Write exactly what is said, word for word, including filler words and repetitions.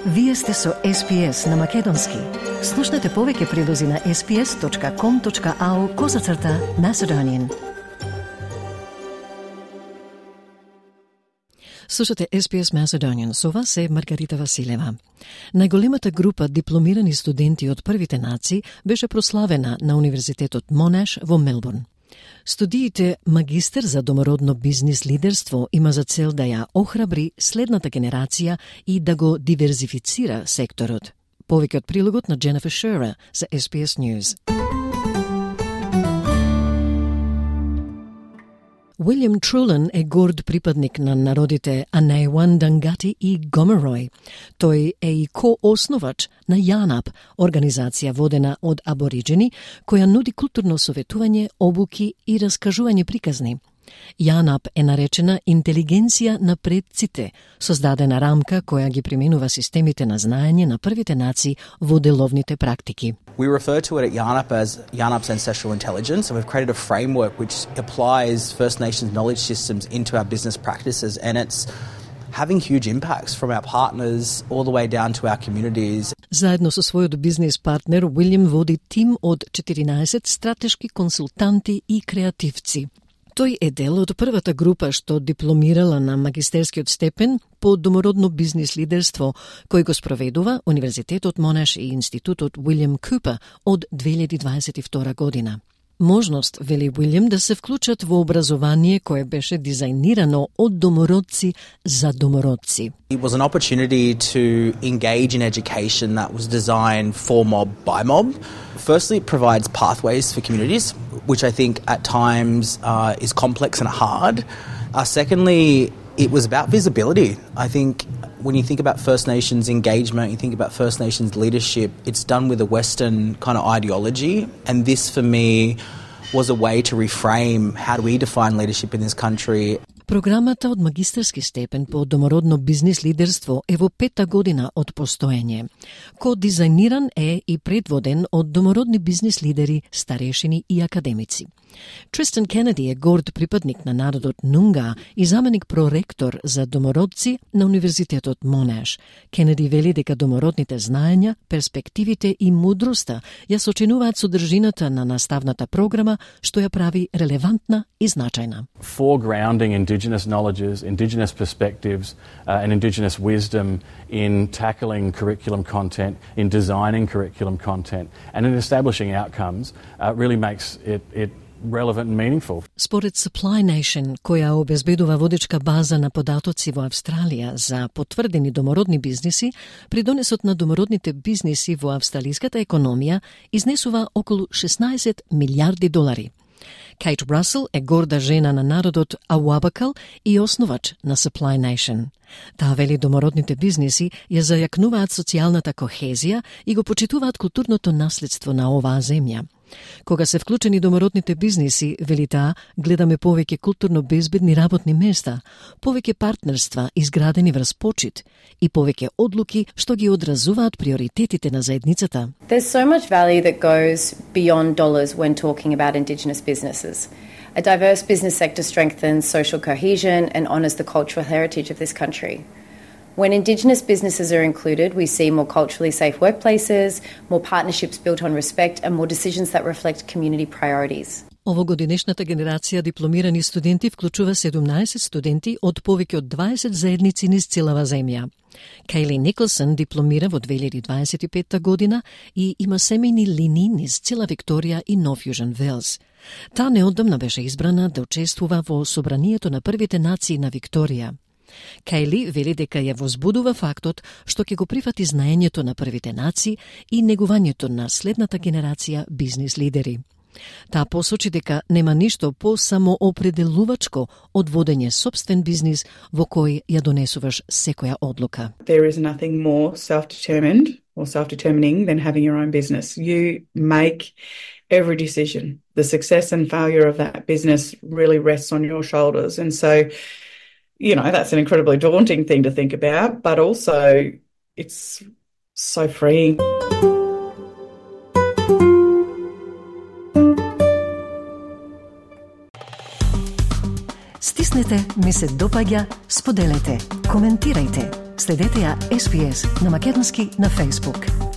Вие сте со Ес Пи Ес на Македонски. Слушнете повеќе прилози на ес пи ес точка ком точка ау козацрта Macedonian. Слушате Ес Пи Ес Macedonian, со вас е Маргарита Василева. Најголемата група дипломирани студенти од првите нации беше прославена на Универзитетот Монаш во Мелбурн. Студиите магистер за домородно бизнис лидерство има за цел да ја охрабри следната генерација и да го диверзифицира секторот. Повеќе од прилогот на Дженефер Шера за Ес Пи Ес News. Уилјам Трулен е горд припадник на народите Анејуан, Дангати и Гомерој. Тој е и коосновач на ЯНАП, организација водена од абориджени, која нуди културно советување, обуки и раскажување приказни. ЯНАП е наречена интелигенција на предците, создадена рамка која ги применува системите на знаење на првите нации во деловните практики. We refer to it at YANAP as YANAP's ancestral intelligence, and we've created a framework which applies First Nations knowledge systems into our business practices, and it's having huge impacts from our partners all the way down to our communities. Заедно со својот бизнис партнер, Уилјам води тим од четиринаесет стратешки консултанти и креативци. Тој е дел од првата група што дипломирала на магистерскиот степен по домородно бизнис лидерство, кој го спроведува Универзитетот Монаш и Институтот Уилјам Купер од две илјади дваесет и втора година. Можност, вели Уилјам, да се вклучат во образование кое беше дизајнирано од домородци за домородци. It was an opportunity to engage in education that was designed for mob by mob. Firstly, it provides pathways for communities, which I think at times uh, is complex and hard. Uh, secondly, it was about visibility. I think when you think about First Nations engagement, you think about First Nations leadership, it's done with a Western kind of ideology. And this, for me, was a way to reframe how do we define leadership in this country. Програмата од магистерски степен по домородно бизнис лидерство е во пета година од постоење. Ко-дизајниран е и предводен од домородни бизнис лидери, старешини и академици. Тристан Кенеди е горд припадник на народот Нунга и заменик проректор за домородци на Универзитетот Монаш. Кенеди вели дека домородните знаења, перспективите и мудроста ја сочинуваат содржината на наставната програма, што ја прави релевантна и значајна. Foregrounding Indigenous knowledges, Indigenous perspectives uh, and Indigenous wisdom in tackling curriculum content, in designing curriculum content and in establishing outcomes uh, really makes it, it relevant and meaningful. Според Supply Nation, која обезбедува водечка база на податоци во Австралија за потврдени домородни бизниси, придонесот на домородните бизниси во австралиската економија изнесува околу шеснаесет милиарди долари. Кейт Русел е горда жена на народот Ауабакал и основач на Supply Nation. Таа вели домородните бизниси ја зајакнуваат социјалната кохезија и го почитуваат културното наследство на оваа земја. Кога се вклучени домородните бизниси, вели таа, гледаме повеќе културно безбедни работни места, повеќе партнерства изградени врз почит и повеќе одлуки што ги одразуваат приоритетите на заедницата. There's so much value that goes beyond dollars when talking about Indigenous businesses. A diverse business sector strengthens social cohesion and honours the cultural heritage of this country. When Indigenous businesses are included, we see more culturally safe workplaces, more partnerships built on respect, and more decisions that reflect community priorities. Овогодинешната генерација дипломирани студенти вклучува седумнаесет студенти од повеќе од дваесет заедници низ целава земја. Кейли Николсон дипломира во две илјади дваесет и петта година и има семејни линии низ цела Викторија и Нов Јужен Велс. Таа неодамна беше избрана да учествува во собранието на првите нации на Викторија. Кейли вели дека ја возбудува фактот што ќе го прифати знаењето на првите нации и негувањето на следната генерација бизнис лидери. Таа посочи дека нема ништо по-самоопределувачко од водење собствен бизнис во кој ја донесуваш секоја одлука. There is nothing more self-determined or self-determining than having your own business. You make every decision. The success and failure of that business really rests on your shoulders. And so, you know, that's an incredibly daunting thing to think about, but also it's so freeing. Стиснете, ми се допаѓа, споделете, коментирајте. Следете ја Ес Би Ес на македонски на Facebook.